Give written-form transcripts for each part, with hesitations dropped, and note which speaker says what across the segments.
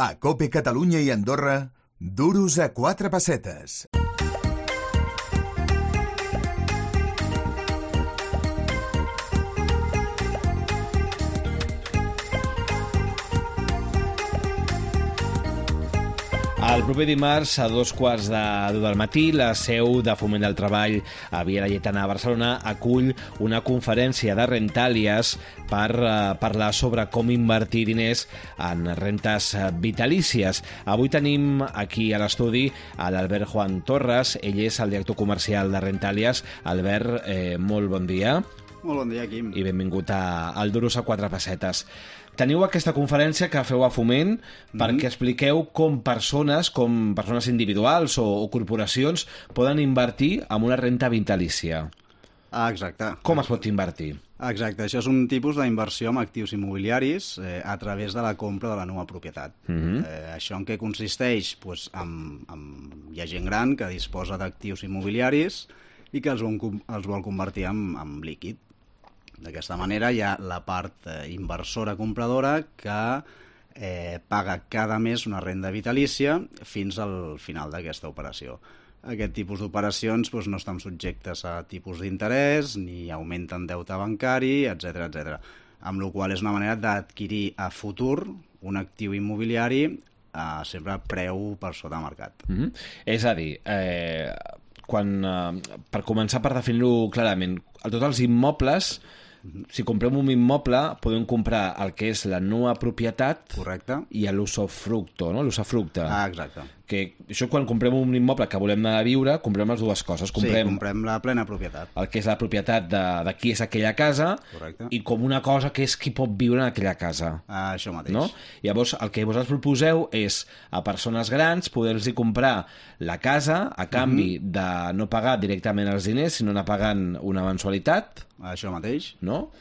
Speaker 1: A COPE Catalunya i Andorra, duros a 4 pessetes.
Speaker 2: El proper dimarts, a 2:15 del matí, la seu de Foment del Treball a Via Laietana a Barcelona acull una conferència de Rentàlies per parlar sobre com invertir diners en rentes vitalícies. Avui tenim aquí a l'estudi a l'Albert Juan Torres. Ell és el director comercial de Rentàlies. Albert, molt bon dia.
Speaker 3: Molt bon dia, Quim.
Speaker 2: I benvingut al Duros a 4 pessetes. Teniu aquesta conferència que feu a Foment perquè expliqueu com persones individuals o corporacions poden invertir en una renta vitalícia.
Speaker 3: Exacte.
Speaker 2: Com es pot invertir?
Speaker 3: Exacte, això és un tipus d'inversió en actius immobiliaris a través de la compra de la nova propietat. Això en què consisteix? Pues, hi ha gent gran que disposa d'actius immobiliaris i que els vol convertir en líquid. D'aquesta manera hi ha la part inversora compradora que paga cada mes una renda vitalícia fins al final d'aquesta operació. Aquest tipus d'operacions no estan subjectes a tipus d'interès, ni augmenten deute bancari, etc etc. Amb la qual és una manera d'adquirir a futur un actiu immobiliari sempre a preu per sota de mercat.
Speaker 2: És a dir, per començar, per definir-ho clarament, tots els immobles, si comprem un immoble, podem comprar el que és la nova propietat.
Speaker 3: Correcte.
Speaker 2: I l'usufructe, no? L'usufructe.
Speaker 3: Exacte.
Speaker 2: Que això, quan comprem un immoble que volem anar a viure, comprem les dues coses.
Speaker 3: Comprem la plena propietat.
Speaker 2: El que és la propietat de qui és aquella casa.
Speaker 3: Correcte.
Speaker 2: I com una cosa que és qui pot viure en aquella casa.
Speaker 3: Això mateix.
Speaker 2: No? Llavors, el que vosaltres proposeu és a persones grans poder-los comprar la casa a canvi de no pagar directament els diners, sinó anar pagant una mensualitat.
Speaker 3: Això mateix.
Speaker 2: No?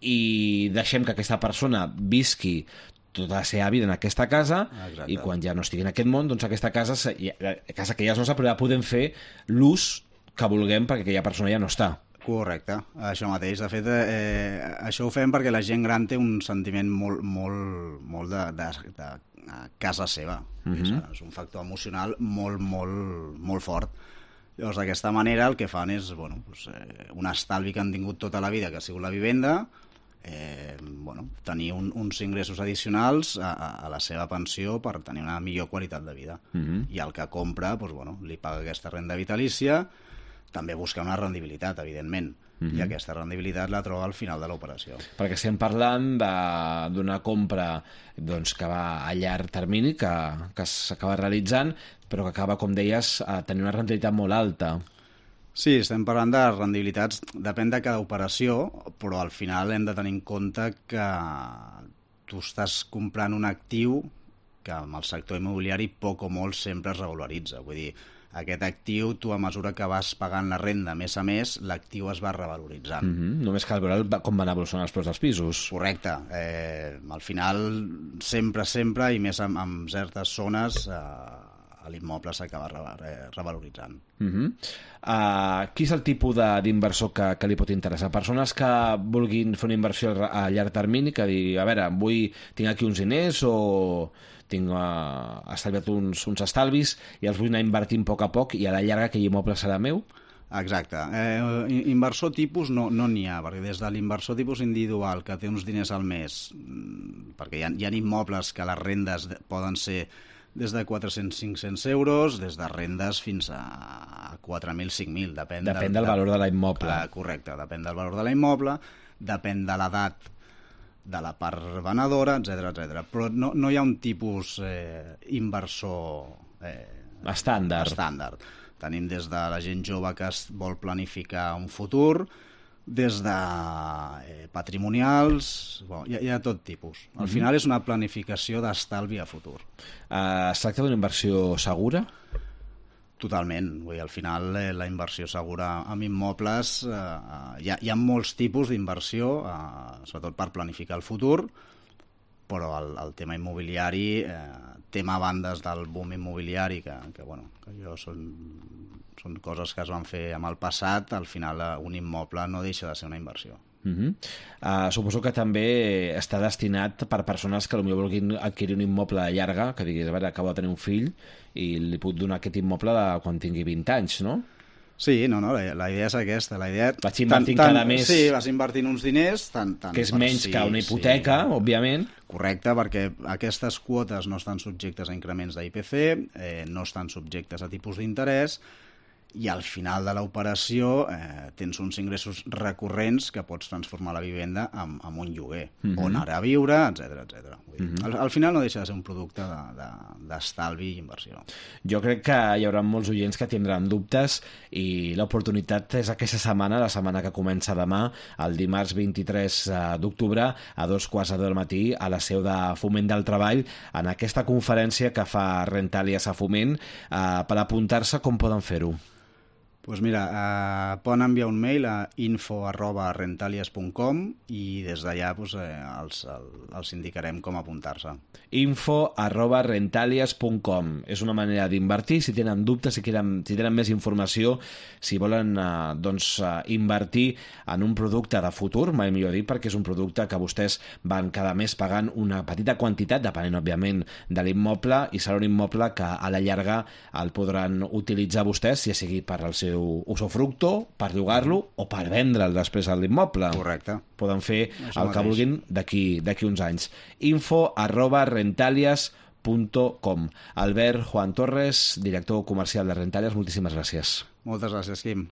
Speaker 2: I deixem que aquesta persona visqui tota la seva vida en aquesta casa. Exacte. I quan ja no estigui en aquest món, doncs aquesta casa que ja és nostra, però ja podem fer l'ús que vulguem perquè aquella persona ja no està.
Speaker 3: Correcte, això mateix. De fet, això ho fem perquè la gent gran té un sentiment molt de casa seva. És un factor emocional molt fort. Llavors, d'aquesta manera, el que fan és un estalvi que han tingut tota la vida, que ha sigut la vivenda, tenir uns ingressos addicionals a la seva pensió per tenir una millor qualitat de vida. I el que compra, li paga aquesta renda vitalícia, també busca una rendibilitat, evidentment, i aquesta rendibilitat la troba al final de l'operació.
Speaker 2: Perquè estem parlant d'una compra que va a llarg termini, que s'acaba realitzant, però que acaba, com deies, a tenir una rendibilitat molt alta.
Speaker 3: Sí, estem parlant de rendibilitats, depèn de cada operació, però al final hem de tenir en compte que tu estàs comprant un actiu que amb el sector immobiliari poc o molt sempre es regularitza. Vull dir, aquest actiu, tu a mesura que vas pagant la renda mes a mes, l'actiu es va revaloritzant.
Speaker 2: Només cal veure com van evolucionar els preus dels pisos.
Speaker 3: Correcte. Al final, sempre, i més en certes zones, l'immoble s'acaba revaloritzant.
Speaker 2: Qui és el tipus d'inversor que li pot interessar? Persones que vulguin fer una inversió a llarg termini, que dir, a veure, tinc aquí uns diners o tinc estalviat uns estalvis i els vull anar invertint a poc i a la llarga aquell immoble serà meu?
Speaker 3: Exacte. Inversor tipus no n'hi ha, perquè des de l'inversor tipus individual que té uns diners al mes, perquè hi ha immobles que les rendes poden ser des de 400-500 euros, des de rendes fins a 4.000, 5.000, depèn
Speaker 2: del valor de la immoble.
Speaker 3: Correcte, depèn del valor de la immoble, depèn de l'edat de la part venedora, etc. Però no hi ha un tipus inversor estàndard. Tenim des de la gent jove que es vol planificar un futur, des de patrimonials, hi ha tot tipus. Al final és una planificació d'estalvi a futur.
Speaker 2: Es tracta d'una inversió segura?
Speaker 3: Totalment. Al final la inversió segura en immobles, hi ha molts tipus d'inversió, sobretot per planificar el futur, però el tema immobiliari, tema a bandes del boom immobiliari, que són coses que es van fer amb el passat, al final un immoble no deixa de ser una inversió.
Speaker 2: Suposo que també està destinat per persones que potser vulguin adquirir un immoble de llarga, que diguis, a veure, acabo de tenir un fill i li puc donar aquest immoble quan tingui 20 anys, no?
Speaker 3: Sí, no, la idea és aquesta. La idea...
Speaker 2: Vaig invertint cada mes...
Speaker 3: Sí, vas invertint uns diners...
Speaker 2: que és menys que una hipoteca, òbviament.
Speaker 3: Correcte, perquè aquestes quotes no estan subjectes a increments d'IPC, no estan subjectes a tipus d'interès, i al final de l'operació tens uns ingressos recurrents que pots transformar la vivenda en un lloguer, o anar a viure, etc. Al final no deixa de ser un producte d'estalvi i inversió.
Speaker 2: Jo crec que hi haurà molts oients que tindran dubtes i l'oportunitat és aquesta setmana, la setmana que comença demà, el dimarts 23 d'octubre, a 2:15 del matí, a la seu de Foment del Treball, en aquesta conferència que fa Rentàlies a Foment. Per apuntar-se, com poden fer-ho?
Speaker 3: Doncs mira, poden enviar un mail a info@rentalias.com i des d'allà els indicarem com apuntar-se.
Speaker 2: info@rentalias.com. És una manera d'invertir. Si tenen dubtes, si tenen més informació, si volen invertir en un producte de futur, mai millor dit, perquè és un producte que vostès van cada mes pagant una petita quantitat, depenent, òbviament, de l'immoble, i serà un immoble que a la llarga el podran utilitzar vostès, ja sigui per al seu usufructo, per llogar-lo o per vendre'l després a l'immoble.
Speaker 3: Correcte.
Speaker 2: Poden fer el que vulguin d'aquí uns anys. info@rentalias.com. Albert Juan Torres, director comercial de Rentàlies, moltíssimes gràcies.
Speaker 3: Moltes gràcies, Quim.